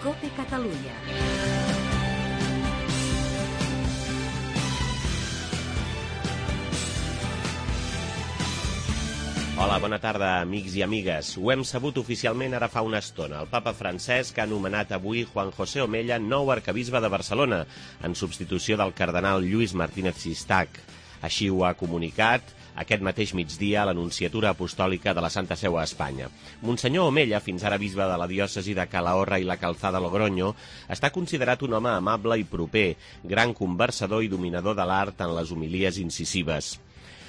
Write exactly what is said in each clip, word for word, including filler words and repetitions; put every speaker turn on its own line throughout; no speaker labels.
COPE Catalunya.
Hola, bona tarda, amics i amigues. Ho hem sabut oficialment ara fa una estona. El papa Francesc ha anomenat avui Juan José Omella nou arquebisbe de Barcelona, en substitució del cardenal Lluís Martínez Sistac. Així ho ha comunicat aquest mateix migdia a l'Anunciatura Apostòlica de la Santa Seu a Espanya. Monsenyor Omella, fins ara bisbe de la diòcesi de Calahorra i la Calzada Logroño, està considerat un home amable i proper, gran conversador i dominador de l'art en les homilies incisives.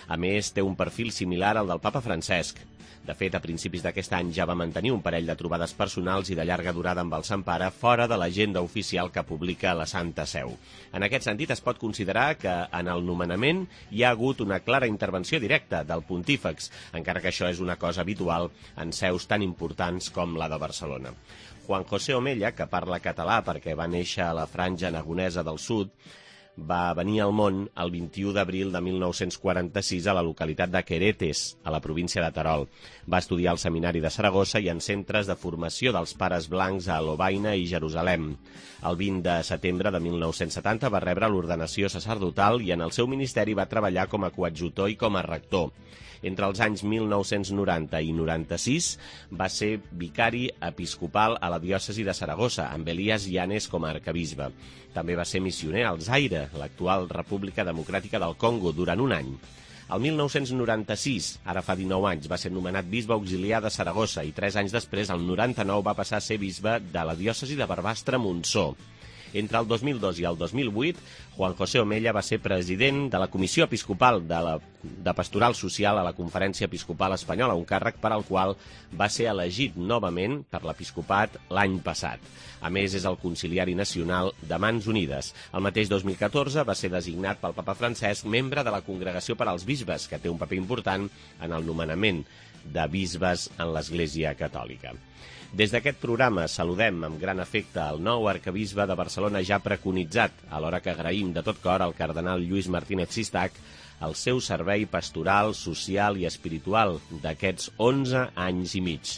A més, té un perfil similar al del papa Francesc. De fet, a principis d'aquest any ja va mantenir un parell de trobades personals i de llarga durada amb el Sant Pare fora de l'agenda oficial que publica la Santa Seu. En aquest sentit, es pot considerar que en el nomenament hi ha hagut una clara intervenció directa del pontífex, encara que això és una cosa habitual en seus tan importants com la de Barcelona. Juan José Omella, que parla català perquè va néixer a la franja aragonesa del sud, va venir al món el vint-i-u d'abril de mil nou-cents quaranta-sis a la localitat de Queretes, a la província de Terol. Va estudiar al Seminari de Saragossa i en centres de formació dels Pares Blancs a Lovaina i Jerusalem. El vint de setembre de mil nou-cents setanta va rebre l'ordenació sacerdotal i en el seu ministeri va treballar com a coadjutor i com a rector. Entre els anys mil nou-cents noranta i noranta-sis va ser vicari episcopal a la diòcesi de Saragossa, amb Elias Llanes com a arquebisbe. També va ser missioner al Zaire, l'actual República Democràtica del Congo, durant un any. El mil nou-cents noranta-sis, ara fa dinou anys, va ser nomenat bisbe auxiliar de Saragossa i tres anys després, el noranta-nou, va passar a ser bisbe de la diòcesi de Barbastre-Montsó. Entre el dos mil dos i el dos mil vuit, Juan José Omella va ser president de la Comissió Episcopal de, la, de Pastoral Social a la Conferència Episcopal Espanyola, un càrrec per al qual va ser elegit novament per l'episcopat l'any passat. A més, és el conciliari nacional de Mans Unides. El mateix dos mil catorze va ser designat pel papa Francesc membre de la Congregació per als Bisbes, que té un paper important en el nomenament de bisbes en l'Església Catòlica. Des d'aquest programa saludem amb gran afecte el nou arquebisbe de Barcelona ja preconitzat, alhora que agraïm de tot cor al cardenal Lluís Martínez Sistac el seu servei pastoral, social i espiritual d'aquests onze anys i mig.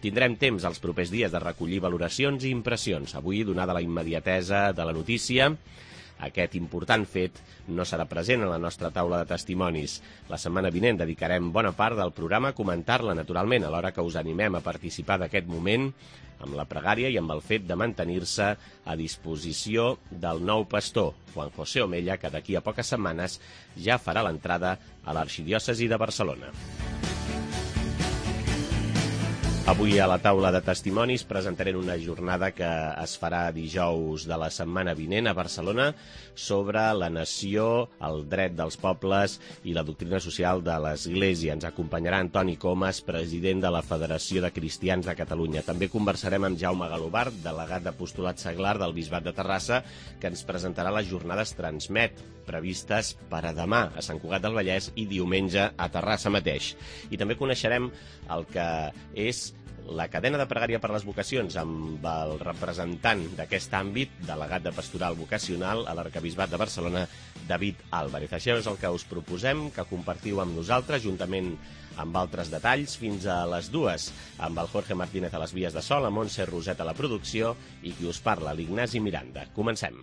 Tindrem temps els propers dies de recollir valoracions i impressions. Avui, donada la immediatesa de la notícia, aquest important fet no serà present a la nostra taula de testimonis. La setmana vinent dedicarem bona part del programa a comentar-la, naturalment, alhora que us animem a participar d'aquest moment amb la pregària i amb el fet de mantenir-se a disposició del nou pastor, Juan José Omella, que d'aquí a poques setmanes ja farà l'entrada a l'arxidiòcesi de Barcelona. Avui a la taula de testimonis presentarem una jornada que es farà dijous de la setmana vinent a Barcelona sobre la nació, el dret dels pobles i la doctrina social de l'Església. Ens acompanyarà Antoni Comas, president de la Federació de Cristians de Catalunya. També conversarem amb Jaume Galobart, delegat d'apostolat seglar del Bisbat de Terrassa, que ens presentarà les jornades Transmet, previstes per a demà a Sant Cugat del Vallès i diumenge a Terrassa mateix. I també coneixerem el que és la cadena de pregària per les vocacions amb el representant d'aquest àmbit, delegat de pastoral vocacional a l'Arquebisbat de Barcelona, David Álvarez. Això és el que us proposem, que compartiu amb nosaltres, juntament amb altres detalls, fins a les dues, amb el Jorge Martínez a les vies de so, la Montse Roset a la producció i qui us parla, l'Ignasi Miranda. Comencem.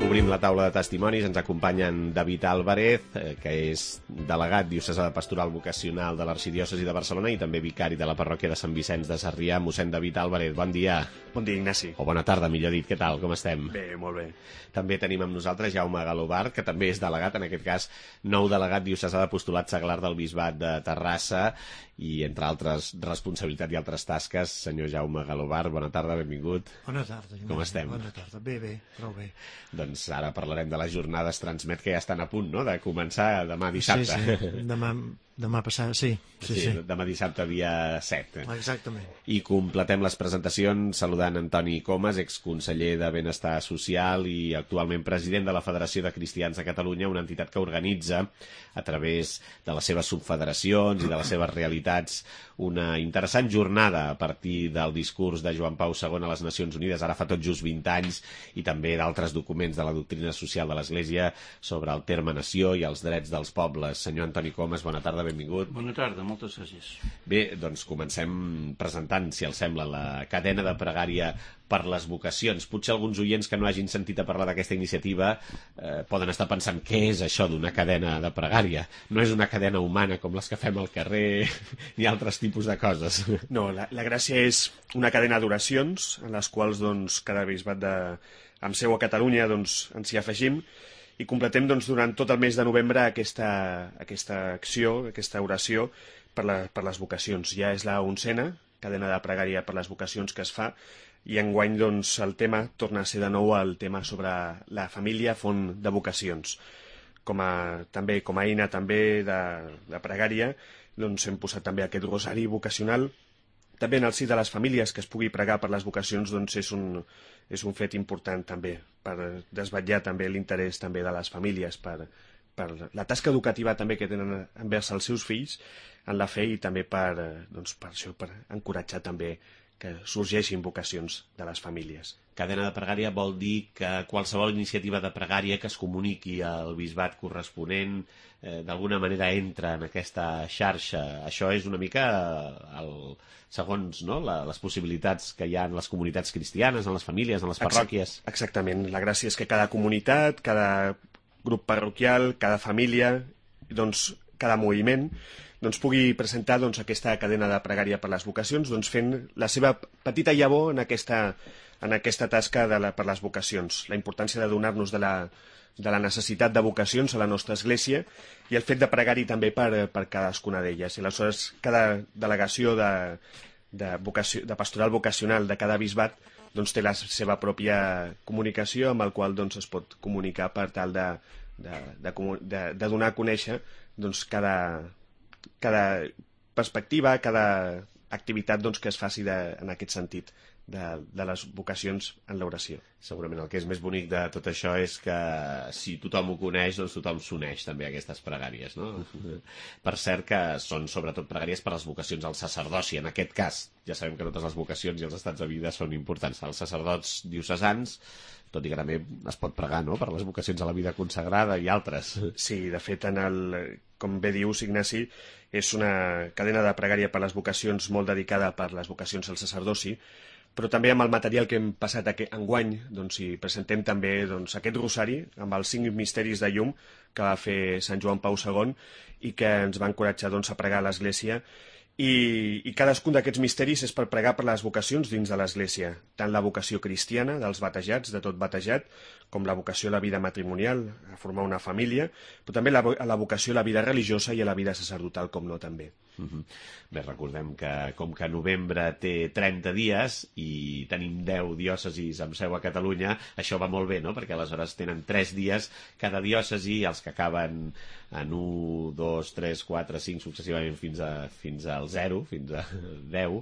Obrim la taula de testimonis, ens acompanyen David Álvarez, que és delegat diocesà de pastoral vocacional de l'Arxidiòcesi de Barcelona i també vicari de la parròquia de Sant Vicenç de Sarrià. Mossèn David Álvarez, bon dia.
Bon dia, Ignasi.
O bona tarda, millor dit. Què tal? Com estem?
Bé, molt bé.
També tenim amb nosaltres Jaume Galobart, que també és delegat, en aquest cas, nou delegat diocesà d'apostolat seglar del Bisbat de Terrassa i, entre altres responsabilitats i altres tasques, senyor Jaume Galobart, bona tarda, benvingut.
Bona tarda.
Com estem?
Bona tarda. Bé, bé, prou bé.
Doncs ara parlarem de les jornades Transmet, que ja estan a punt, no?, de començar demà dissabte.
Sí, sí. Demà Demà passat, sí. Sí, sí.
Demà dissabte, dia set.
Exactament.
I completem les presentacions saludant Antoni Comas, exconseller de Benestar Social i actualment president de la Federació de Cristians de Catalunya, una entitat que organitza a través de les seves subfederacions i de les seves realitats una interessant jornada a partir del discurs de Joan Pau segon a les Nacions Unides, ara fa tot just vint anys, i també d'altres documents de la doctrina social de l'Església sobre el terme nació i els drets dels pobles. Senyor Antoni Comas, bona tarda, benvingut.
Bona tarda, moltes gràcies.
Bé, doncs comencem presentant, si els sembla, la cadena de pregària per les vocacions. Potser alguns oients que no hagin sentit a parlar d'aquesta iniciativa eh, poden estar pensant què és això d'una cadena de pregària. No és una cadena humana com les que fem al carrer ni altres tipus de coses.
No, la, la gràcia és una cadena d'oracions en les quals doncs, cada bisbat de, amb seu a Catalunya doncs, ens hi afegim i completem doncs, durant tot el mes de novembre aquesta, aquesta acció, aquesta oració per, la, per les vocacions. Ja és la oncena cadena de pregària per les vocacions que es fa i enguany doncs, el tema torna a ser de nou el tema sobre la família font de vocacions. Com a, també, com a eina també de, de pregària doncs, hem posat també aquest rosari vocacional. També en el si de les famílies que es pugui pregar per les vocacions doncs, és, un, és un fet important també per desvetllar també l'interès també de les famílies per, per la tasca educativa també que tenen envers els seus fills en la fe i també per, doncs, per, això, per encoratjar també que sorgeixin vocacions de les famílies.
Cadena de pregària vol dir que qualsevol iniciativa de pregària que es comuniqui al bisbat corresponent eh, d'alguna manera entra en aquesta xarxa. Això és una mica el, segons no, la, les possibilitats que hi ha en les comunitats cristianes, en les famílies, en les parròquies.
Exactament. La gràcia és que cada comunitat, cada grup parroquial, cada família, doncs, cada moviment doncs, pugui presentar doncs, aquesta cadena de pregària per les vocacions, doncs, fent la seva petita llavor en aquesta, en aquesta tasca de la, per les vocacions. La importància de donar-nos de la, de la necessitat de vocacions a la nostra església i el fet de pregar-hi també per, per cadascuna d'elles. I aleshores cada delegació de, de, vocació, de pastoral vocacional de cada bisbat doncs, té la seva pròpia comunicació amb el qual doncs, es pot comunicar per tal de, de, de, de, de donar a conèixer doncs, cada cada perspectiva, cada activitat doncs, que es faci de, en aquest sentit de, de les vocacions en l'oració.
Segurament el que és més bonic de tot això és que si tothom ho coneix, doncs tothom s'uneix també a aquestes pregàries, no? Per cert que són sobretot pregàries per les vocacions al sacerdoci. En aquest cas, ja sabem que totes les vocacions i els estats de vida són importants. Els sacerdots diocesans, tot i que també es pot pregar, no?, per les vocacions a la vida consagrada i altres.
Sí, de fet, en el, com bé dius, Ignasi, és una cadena de pregària per les vocacions molt dedicada per les vocacions al sacerdoci, però també amb el material que hem passat enguany doncs, hi presentem també doncs, aquest rosari amb els cinc misteris de llum que va fer Sant Joan Pau segon i que ens va encoratjar doncs, a pregar a l'Església. I, i cadascun d'aquests misteris és per pregar per les vocacions dins de l'Església, tant la vocació cristiana dels batejats, de tot batejat, com la vocació a la vida matrimonial, a formar una família, però també la, la vocació a la vida religiosa i a la vida sacerdotal, com no, també.
Uh-huh. Bé, recordem que com que novembre té trenta dies i tenim deu diòcesis amb seu a Catalunya, això va molt bé, no?, perquè aleshores tenen tres dies cada diòcesi, els que acaben en un, dos, tres, quatre, cinc successivament fins, a, fins al zero, fins a deu.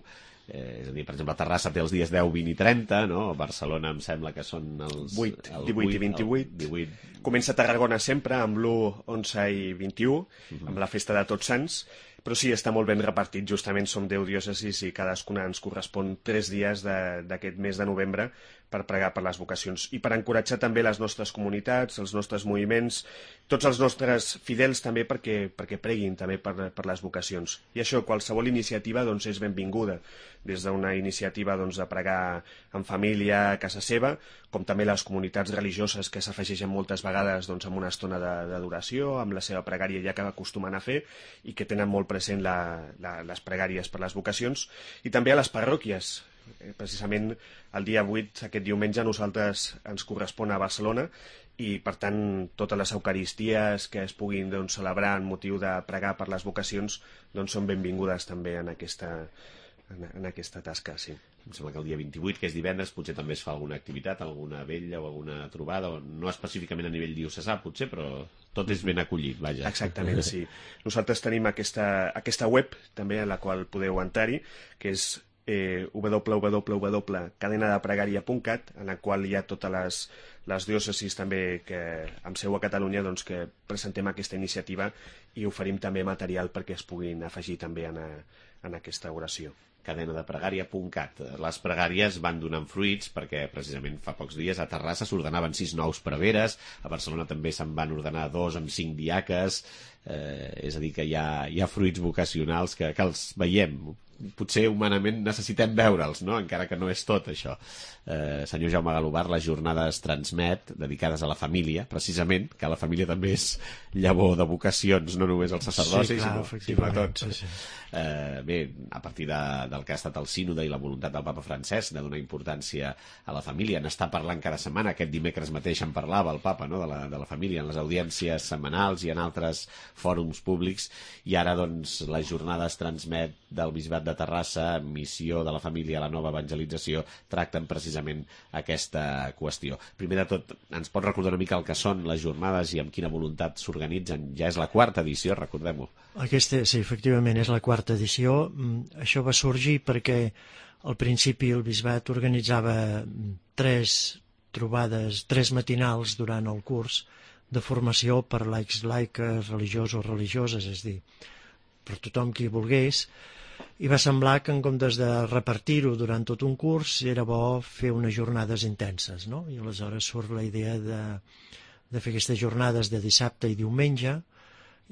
Eh, és a dir, per exemple, Terrassa té els dies deu, vint i trenta, no? Barcelona em sembla que són els...
vuit, divuit i vint-i-vuit.
divuit.
Comença a Tarragona sempre amb l'u, onze i vint-i-u, uh-huh. amb la festa de Tots Sants, però sí, està molt ben repartit. Justament som deu diòcesis i cadascuna ens correspon tres dies d'aquest mes de novembre per pregar per les vocacions i per encoratjar també les nostres comunitats, els nostres moviments, tots els nostres fidels també perquè, perquè preguin també per, per les vocacions. I això, qualsevol iniciativa doncs, és benvinguda, des d'una iniciativa doncs, de pregar en família a casa seva, com també les comunitats religioses que s'afegeixen moltes vegades doncs, amb una estona d'adoració, amb la seva pregària ja que acostumen a fer i que tenen molt present la, la, les pregàries per les vocacions, i també a les parròquies. Precisament el dia vuit, aquest diumenge, a nosaltres ens correspon a Barcelona i, per tant, totes les eucaristies que es puguin doncs, celebrar en motiu de pregar per les vocacions doncs, són benvingudes també en aquesta, en, en aquesta tasca. Sí.
em sembla que el dia vint-i-vuit, que és divendres, potser també es fa alguna activitat, alguna vetlla o alguna trobada, no específicament a nivell diocesà, potser, però tot és ben acollit, vaja.
Exactament, sí. Nosaltres tenim aquesta, aquesta web, també, a la qual podeu entrar-hi, que és eh, w w w punt cadena de pregària punt cat, en la qual hi ha totes les, les diòcesis també que amb seu a Catalunya doncs, que presentem aquesta iniciativa i oferim també material perquè es puguin afegir també en, a, en aquesta oració.
cadena de pregària punt cat. Les pregàries van donant fruits perquè precisament fa pocs dies a Terrassa s'ordenaven sis nous preveres, a Barcelona també se'n van ordenar dos amb cinc diaques, eh, és a dir que hi ha, hi ha fruits vocacionals que, que els veiem. Potser humanament necessitem veure'ls, no? Encara que no és tot això. Eh, senyor Jaume Galobar, la jornada es transmet dedicades a la família, precisament, que la família també és llavor de vocacions, no només el sacerdoci,
sí, clar,
sinó, sinó tot.
Sí, sí.
Eh, bé, a partir de, del que ha estat el sínode i la voluntat del papa Francesc de donar importància a la família, n'està parlant cada setmana, aquest dimecres mateix en parlava el papa, no? de, la, de la família, en les audiències setmanals i en altres fòrums públics, i ara doncs la jornada es transmet del Bisbat de Terrassa, missió de la família a la nova evangelització, tracten precisament aquesta qüestió. Primer de tot, ens pot recordar una mica el que són les jornades i amb quina voluntat s'organitzen? Ja és la quarta edició, recordem-ho.
Aquesta, sí, efectivament, és la quarta edició. Això va sorgir perquè al principi el Bisbat organitzava tres trobades, tres matinals durant el curs de formació per laics, laiques, religiosos, religioses, és a dir, per tothom qui volgués, i va semblar que en comptes de repartir-ho durant tot un curs era bo fer unes jornades intenses, no? I aleshores surt la idea de, de fer aquestes jornades de dissabte i diumenge,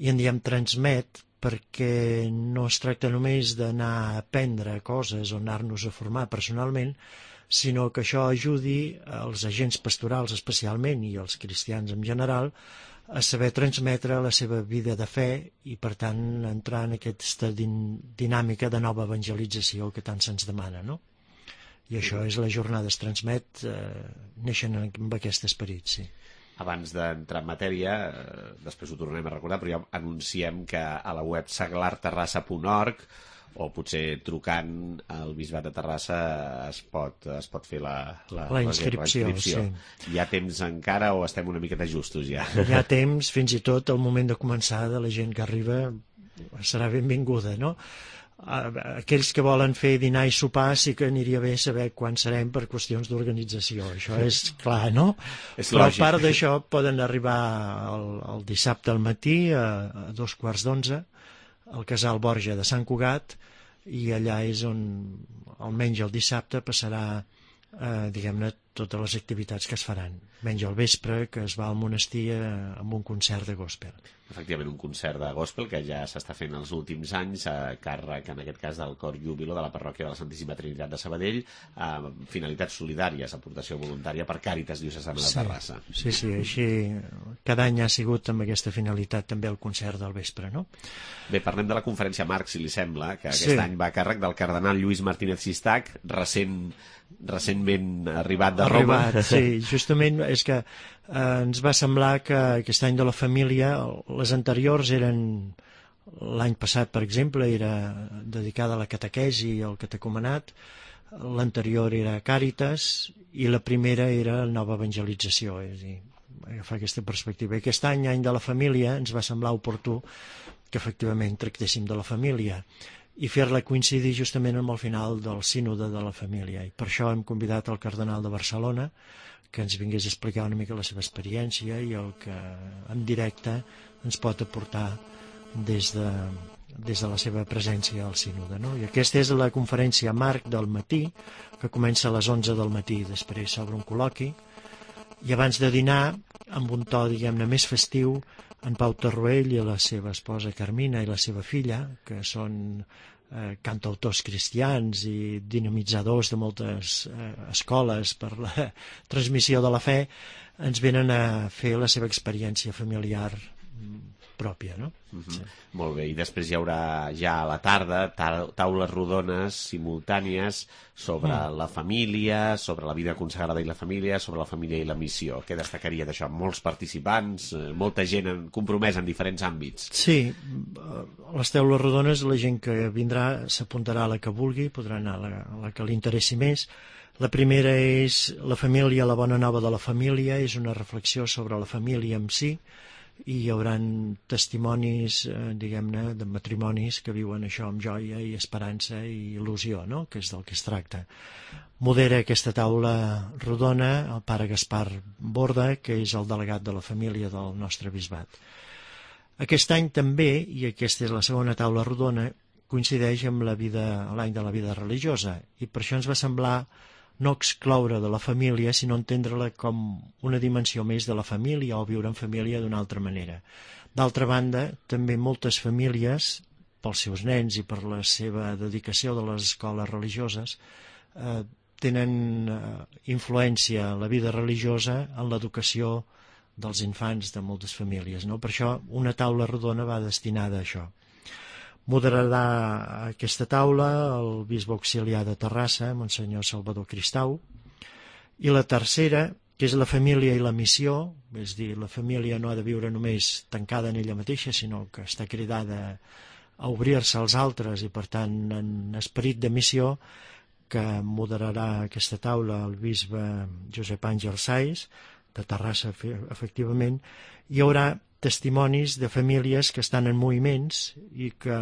i en diem transmet perquè no es tracta només d'anar a aprendre coses o anar-nos a formar personalment, sinó que això ajudi als agents pastorals especialment i als cristians en general a saber transmetre la seva vida de fe i, per tant, entrar en aquesta din dinàmica de nova evangelització que tant se'ns demana, no? I això és la jornada es transmet, eh, neixen amb aquest esperit, sí.
Abans d'entrar en matèria, eh, després ho tornarem a recordar, però ja anunciem que a la web seglar terrassa punt org o potser trucant al Bisbat de Terrassa es pot, es pot fer la, la,
la inscripció. La inscripció. Sí.
Hi ha temps encara o estem una miqueta justos ja?
Hi ha temps, fins i tot el moment de començar de la gent que arriba serà benvinguda, no? Aquells que volen fer dinar i sopar sí que aniria bé saber quan serem per qüestions d'organització, això és clar, no?
És
Però
lògic.
A part d'això poden arribar el, el dissabte al matí a, a dos quarts d'onze al Casal Borja de Sant Cugat, i allà és on almenys el dissabte passarà eh, diguem-ne totes les activitats que es faran, menys al vespre que es va al monestir eh, amb un concert de gospel.
Efectivament, un concert de gospel que ja s'està fent els últims anys a càrrec, en aquest cas, del Cor Júbilo de la parròquia de la Santíssima Trinitat de Sabadell, amb finalitats solidàries, aportació voluntària per Càritas Diocesana de Terrassa.
Sí, sí, així cada any ha sigut amb aquesta finalitat també el concert del vespre, no?
Bé, parlem de la conferència Marc, si li sembla, que aquest
sí.
any va a càrrec del cardenal Lluís Martínez Sistac, recent, recentment arribat de Roma.
Arribat, sí, justament és que eh, ens va semblar que aquest any de la família, les anteriors eren, l'any passat per exemple era dedicada a la catequesi i al catecumenat, l'anterior era Càritas i la primera era nova evangelització, és a dir, agafar aquesta perspectiva. I aquest any, any de la família, ens va semblar oportú que efectivament tractéssim de la família i fer-la coincidir justament amb el final del sínode de la família. I per això hem convidat el cardenal de Barcelona que ens vingués a explicar una mica la seva experiència i el que en directe ens pot aportar des de, des de la seva presència al sínode, no? I aquesta és la conferència Marc del matí, que comença a les onze del matí, després s'obre un col·loqui, i abans de dinar, amb un to, diguem-ne, més festiu, en Pau Tarruell i la seva esposa Carmina i la seva filla, que són eh, cantautors cristians i dinamitzadors de moltes eh, escoles per la transmissió de la fe, ens venen a fer la seva experiència familiar pròpia, no?
Uh-huh. Sí. Molt bé, i després hi haurà ja a la tarda taules rodones simultànies sobre mm. la família, sobre la vida consagrada i la família, sobre la família i la missió. Què destacaria d'això? Molts participants, molta gent compromesa en diferents àmbits.
Sí, les taules rodones, la gent que vindrà s'apuntarà a la que vulgui, podrà anar a la, a la que li interessi més. La primera és la família, la bona nova de la família, és una reflexió sobre la família en si, i hi haurà testimonis, eh, diguem-ne, de matrimonis que viuen això amb joia i esperança i il·lusió, no?, que és del que es tracta. Modera aquesta taula rodona el pare Gaspar Borda, que és el delegat de la família del nostre bisbat. Aquest any també, i aquesta és la segona taula rodona, coincideix amb la vida, l'any de la vida religiosa, i per això ens va semblar no excloure de la família, sinó entendre-la com una dimensió més de la família o viure en família d'una altra manera. D'altra banda, també moltes famílies, pels seus nens i per la seva dedicació de les escoles religioses, eh, tenen eh, influència en la vida religiosa en l'educació dels infants de moltes famílies, no? Per això una taula rodona va destinada a això. Moderarà aquesta taula el bisbe auxiliar de Terrassa, Monsenyor Salvador Cristau, i la tercera, que és la família i la missió, és dir, la família no ha de viure només tancada en ella mateixa, sinó que està cridada a obrir-se als altres i, per tant, en esperit de missió, que moderarà aquesta taula el bisbe Josep Àngel Saiz, de Terrassa, efectivament. Hi haurà testimonis de famílies que estan en moviments i que,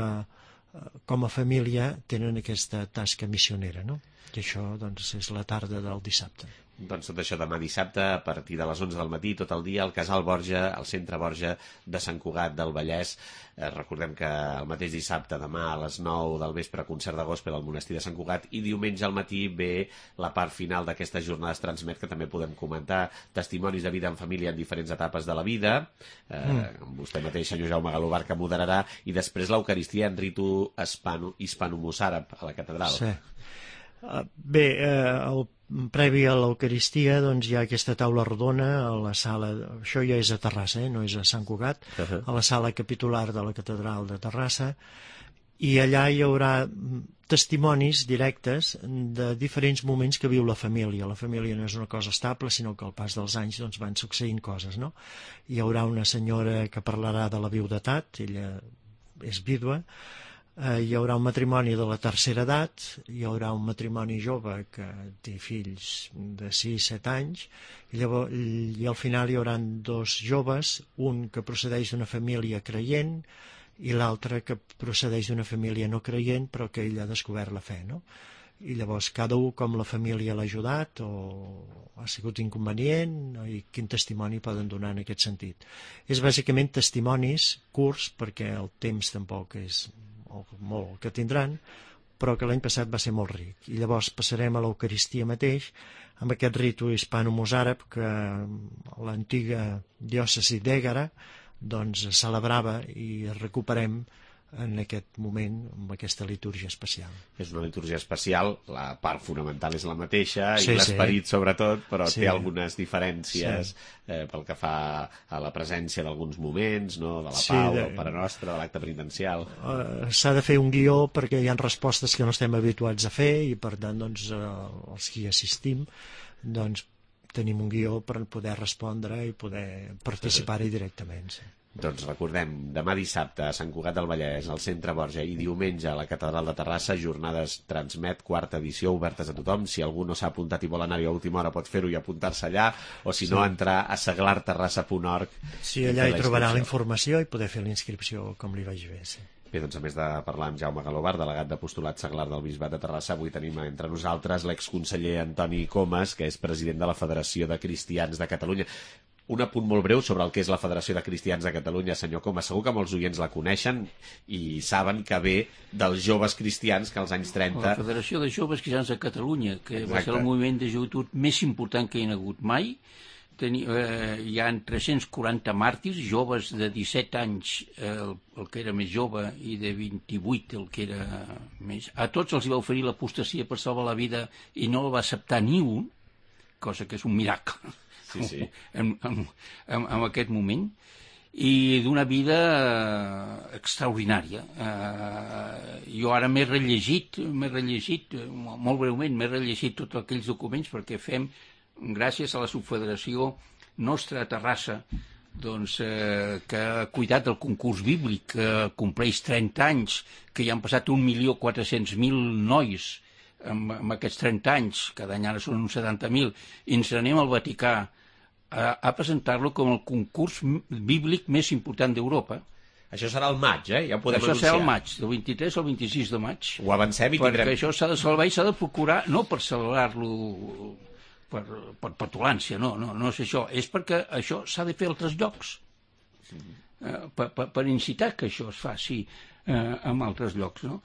com a família, tenen aquesta tasca missionera, no? I això, doncs, és la tarda del dissabte.
Doncs tot això demà dissabte, a partir de les onze del matí, tot el dia, al Casal Borja, al Centre Borja de Sant Cugat del Vallès. Eh, recordem que el mateix dissabte, demà a les nou del vespre, concert de gospel al Monestir de Sant Cugat, i diumenge al matí ve la part final d'aquestes jornades Transmet, que també podem comentar, testimonis de vida en família en diferents etapes de la vida, eh, mm. vostè mateix, senyor Jaume Galobar, que moderarà, i després l'Eucaristia en ritu hispano-mossàrab a la catedral.
Sí. Uh, bé, uh, el previ a l'Eucaristia, doncs, hi ha aquesta taula rodona a la sala, això ja és a Terrassa, eh? No és a Sant Cugat, uh-huh. a la sala capitular de la catedral de Terrassa, i allà hi haurà testimonis directes de diferents moments que viu la família. La família no és una cosa estable, sinó que al pas dels anys, doncs, van succeint coses, no? Hi haurà una senyora que parlarà de la viudetat, ella és vídua. Uh, hi haurà un matrimoni de la tercera edat, hi haurà un matrimoni jove que té fills de sis set anys, i, llavors, i al final hi haurà dos joves, un que procedeix d'una família creient i l'altre que procedeix d'una família no creient però que ell ha descobert la fe, no? I llavors cada un com la família l'ha ajudat o ha sigut inconvenient i quin testimoni poden donar en aquest sentit. És bàsicament testimonis curts perquè el temps tampoc és molt que tindran, però que l'any passat va ser molt ric. I llavors passarem a l'Eucaristia mateix, amb aquest ritu hispano-mossàrab que l'antiga diòcesi d'Ègara doncs celebrava i recuperem en aquest moment amb aquesta litúrgia especial.
És una litúrgia especial, la part fonamental és la mateixa,
sí,
i l'esperit
sí.
sobretot, però
sí.
té algunes diferències
sí.
eh, pel que fa a la presència d'alguns moments, no? De la
sí,
pau,
de...
del Pare Nostre, de l'acte penitencial.
Uh, s'ha de fer un guió perquè hi ha respostes que no estem habituats a fer i per tant doncs, uh, els que hi assistim doncs, tenim un guió per poder respondre i poder participar-hi directament. Sí.
Doncs recordem, demà dissabte a Sant Cugat del Vallès, al Centre Borja, i diumenge a la Catedral de Terrassa, jornades Transmet, quarta edició, obertes a tothom. Si algú no s'ha apuntat i vol anar-hi a última hora pot fer-ho i apuntar-se allà, o si sí. no, entrar a seglar terrassa punt org.
Sí, allà hi trobarà la informació i poder fer la inscripció com li vagi bé, sí.
Bé, doncs a més de parlar amb Jaume Galobar, delegat d'apostolat seglar del Bisbat de Terrassa, avui tenim entre nosaltres l'exconseller Antoni Comas, que és president de la Federació de Cristians de Catalunya. Un apunt molt breu sobre el que és la Federació de Cristians de Catalunya, senyor Comas. Segur que molts oients la coneixen i saben que ve dels joves cristians que als anys trenta...
La Federació de Joves Cristians de Catalunya, que
Exacte.
va ser el moviment de joventut més important que hi ha hagut mai. Teni, eh, hi ha tres-cents quaranta màrtirs, joves de disset anys, eh, el, el que era més jove, i de vint-i-vuit, el que era més... A tots els va oferir l'apostasia per salvar la vida i no el va acceptar ni un, cosa que és un miracle.
Sí, sí.
En, en, en, en aquest moment, i d'una vida extraordinària. Eh, jo ara m'he rellegit, m'he rellegit, molt breument, m'he rellegit tots aquells documents perquè fem, gràcies a la subfederació nostra a Terrassa, doncs, eh, que ha cuidat del concurs bíblic, que compleix trenta anys, que hi han passat un milió quatre-cents mil nois en, en aquests trenta anys, cada any ara són uns setanta mil, i ens anem al Vaticà a, a presentar-lo com el concurs bíblic més important d'Europa.
Això serà el maig, eh? Ja ho podem
Això
anunciar.
serà el maig, del vint-i-tres al vint-i-sis de maig.
Ho avancem i tindrem...
Perquè això s'ha de salvar i s'ha de procurar, no per celebrar-lo per, per petulància, no, no, no és això. És perquè això s'ha de fer a altres llocs, eh, per, per, per incitar que això es faci eh, en altres llocs, no?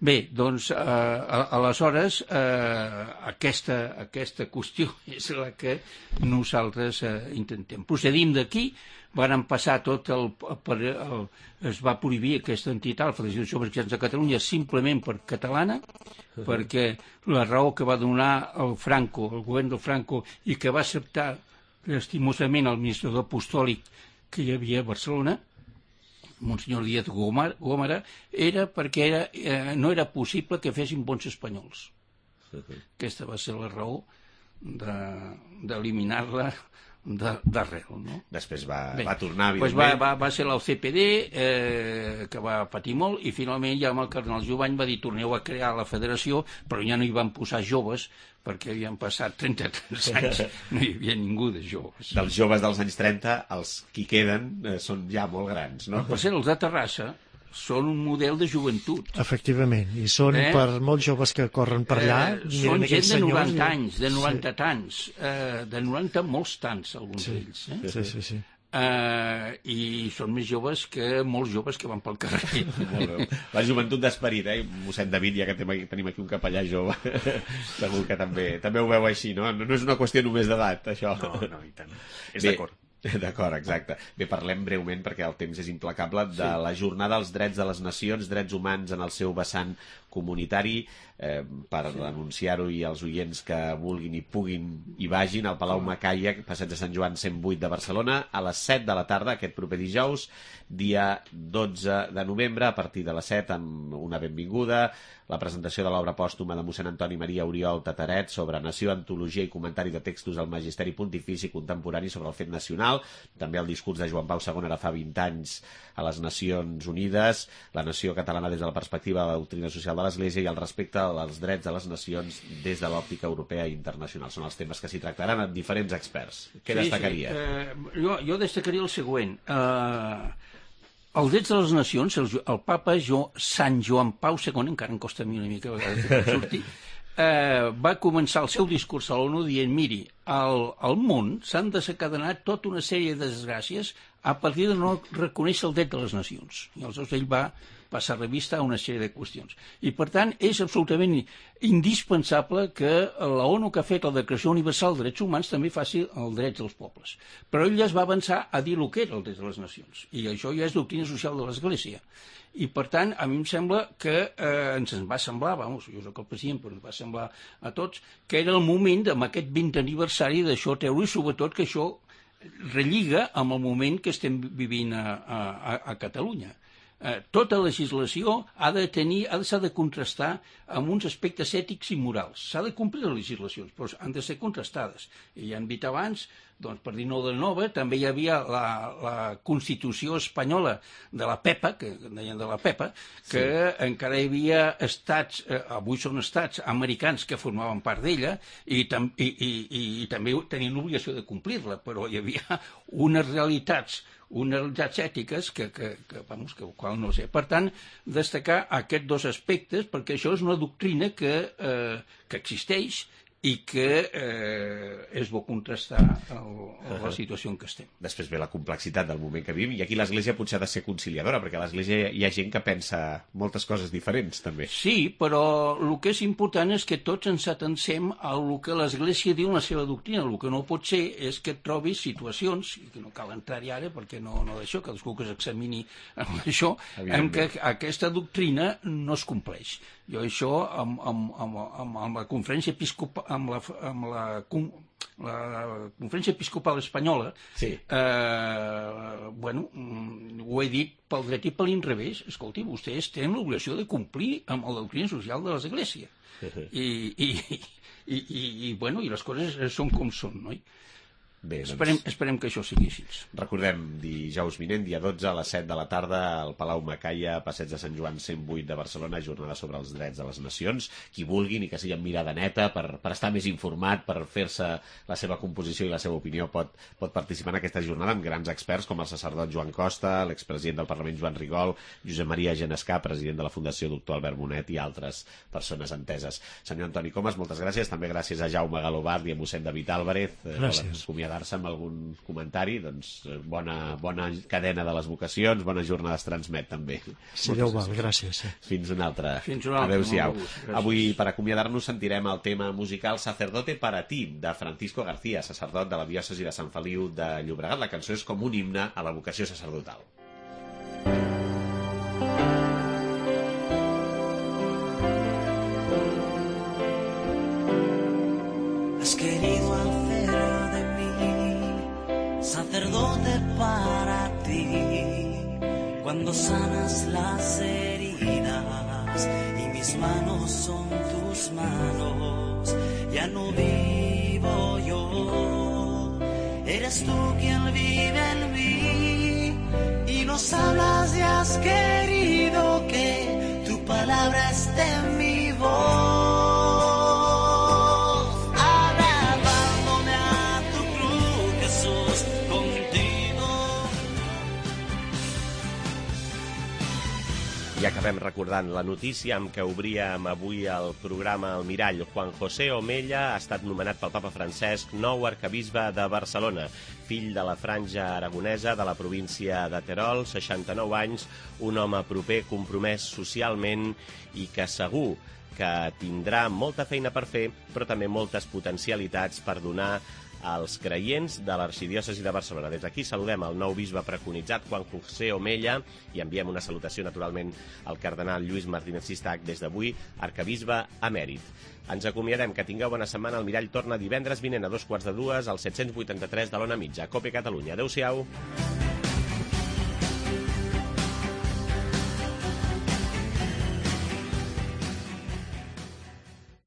Bé, doncs, eh, aleshores, eh, aquesta, aquesta qüestió és la que nosaltres eh, intentem. Procedim d'aquí, varen passar tot el, el, el... es va prohibir aquesta entitat, la Federació de Joves Cristians de Catalunya, simplement per catalana, uh-huh. perquè la raó que va donar el Franco, el govern del Franco, i que va acceptar estimosament el ministre apostòlic que hi havia a Barcelona, Monsenyor Díaz Gómara, era perquè era, eh, no era possible que fessin bons espanyols. Uh-huh. Aquesta va ser la raó d'eliminar-la d'arrel, no?
Després va,
Bé,
va tornar,
doncs
evidentment.
va, va, va ser l'O C P D, eh, que va patir molt, i finalment ja amb el cardenal Jovany va dir torneu a crear la federació, però ja no hi van posar joves, perquè havien passat trenta-tres anys, no hi havia ningú de joves.
Dels joves dels anys trenta, els qui queden eh, són ja molt grans, no?
Per cert, els de Terrassa són un model de joventut.
Efectivament, i són
eh?
per molts joves que corren per allà.
Eh, són gent de noranta anys, de noranta sí. tants, eh, de noranta molts tants, alguns
sí.
d'ells. Eh?
Sí, sí, sí.
Eh, I són més joves que molts joves que van pel carrer.
La joventut d'esperit, eh? Mossèn David, ja que tenim aquí un capellà jove, segur que també, també ho veu així, no? No és una qüestió només d'edat, això.
No, no, i tant. És d'acord.
D'acord, exacte. Bé, parlem breument, perquè el temps és implacable, de sí. la Jornada dels Drets de les Nacions, Drets Humans en el seu vessant comunitari, eh, per sí. anunciar-ho i als oients que vulguin i puguin i vagin al Palau Macaia, Passeig de Sant Joan cent vuit de Barcelona, a les set de la tarda, aquest proper dijous, dia dotze de novembre, a partir de les set, amb una benvinguda, la presentació de l'obra pòstuma de mossèn Antoni Maria Oriol Tataret sobre nació, antologia i comentari de textos del magisteri pontifici contemporani sobre el fet nacional, també el discurs de Joan Pau segon ara fa vint anys a les Nacions Unides, la nació catalana des de la perspectiva de la doctrina social de l'Església i el respecte als drets de les nacions des de l'òptica europea i internacional. Són els temes que s'hi tractaran amb diferents experts. Què sí, destacaria?
Sí. Eh, jo, jo destacaria el següent. Eh, els drets de les nacions, el, el papa jo, Sant Joan Pau segon, encara em costa a mi una mica a vegades de sortir, eh, va començar el seu discurs a l'ONU dient, miri, al, al món s'han desencadenat tota una sèrie de desgràcies a partir de no reconèixer el dret de les nacions. I aleshores ell va passar revista a una sèrie de qüestions. I, per tant, és absolutament indispensable que la ONU, que ha fet la Declaració Universal de Drets Humans, també faci els drets dels pobles. Però ell ja es va avançar a dir el que era el dret de les nacions. I això ja és doctrina social de l'Església. I, per tant, a mi em sembla que eh, ens va semblar, vamos, jo soc el president, però ens va semblar a tots, que era el moment, amb aquest vint aniversari, d'això treure, i sobretot que això relliga amb el moment que estem vivint a, a, a Catalunya. Eh, tota legislació ha de tenir, ha de, s'ha de contrastar amb uns aspectes ètics i morals. S'ha de complir les legislacions, però han de ser contrastades. I ja hem dit abans, doncs, per dir nou de nova, també hi havia la, la Constitució espanyola de la PEPA, que deien de la PEPA, que sí. encara hi havia estats, eh, avui són estats americans que formaven part d'ella, i, tam, i, i, i, i també tenien l'obligació de complir-la, però hi havia unes realitats unes realitats ètiques que, que, que, vamos, que qual no sé. Per tant, destacar aquests dos aspectes, perquè això és una doctrina que, eh, que existeix i que eh, és bo contrastar el, la situació en què estem.
Després ve la complexitat del moment que vivim, i aquí l'Església potser ha de ser conciliadora, perquè a l'Església hi ha gent que pensa moltes coses diferents, també.
Sí, però el que és important és que tots ens atencem al que l'Església diu en la seva doctrina. El que no pot ser és que et trobis situacions, que no cal entrar-hi ara, perquè no, no d'això, cadascú que s'examini amb això, en què aquesta doctrina no es compleix. Jo això, amb, amb, amb, amb, amb la conferència episcopal, amb la, amb la la Conferència Episcopal Espanyola,
sí.
eh, bueno, ho he dit pel dret i per l'inrevés. Escolti, vostès tenen l'obligació de complir amb la doctrina social de l'Església. I, i, i, i, i, bueno, i les coses són com són, no?
Bé, doncs...
esperem, esperem que això sigui així.
Recordem, dijous vinent, dia dotze, a les set de la tarda, al Palau Macaia, Passeig de Sant Joan cent vuit de Barcelona, jornada sobre els drets de les nacions. Qui vulgui, ni que sigui amb mirada neta, per, per estar més informat, per fer-se la seva composició i la seva opinió, pot, pot participar en aquesta jornada amb grans experts com el sacerdot Joan Costa, l'expresident del Parlament Joan Rigol, Josep Maria Genescà, president de la Fundació Doctor Albert Bonet i altres persones enteses. Senyor Antoni Comas, moltes gràcies. També gràcies a Jaume Galobart i a mossèn David Álvarez.
Gràcies.
Acomiadar-se amb algun comentari, doncs bona, bona cadena de les vocacions, bones jornades transmet també.
Si Déu val, gràcies. Eh.
Fins una altra.
Fins una altra.
Adéu-siau. Avui, per acomiadar-nos, sentirem el tema musical Sacerdote para ti, de Francisco García, sacerdot de la diòcesi de Sant Feliu de Llobregat. La cançó és com un himne a la vocació sacerdotal.
Has querido hacer de mí sacerdote para ti, cuando sanas las heridas y mis manos son tus manos, ya no vivo yo, eres tú quien vive en mí y nos hablas y has querido que tu palabra esté en mi voz.
I acabem recordant la notícia amb què obríem avui el programa El Mirall. Juan José Omella ha estat nomenat pel papa Francesc nou arquebisbe de Barcelona, fill de la franja aragonesa de la província de Terol, seixanta-nou anys, un home proper, compromès socialment i que segur que tindrà molta feina per fer, però també moltes potencialitats per donar als creients de l'arxidiòcesi de Barcelona. Des d'aquí saludem el nou bisbe preconitzat, Juan José Omella, i enviem una salutació, naturalment, al cardenal Lluís Martínez Sistac, des d'avui, arquebisbe emèrit. Ens acomiadem, que tingueu bona setmana. El Mirall torna divendres vinent a dos quarts de dues, al set-cents vuitanta-tres de l'Ona Mitja. Cope Catalunya. Adéu-siau.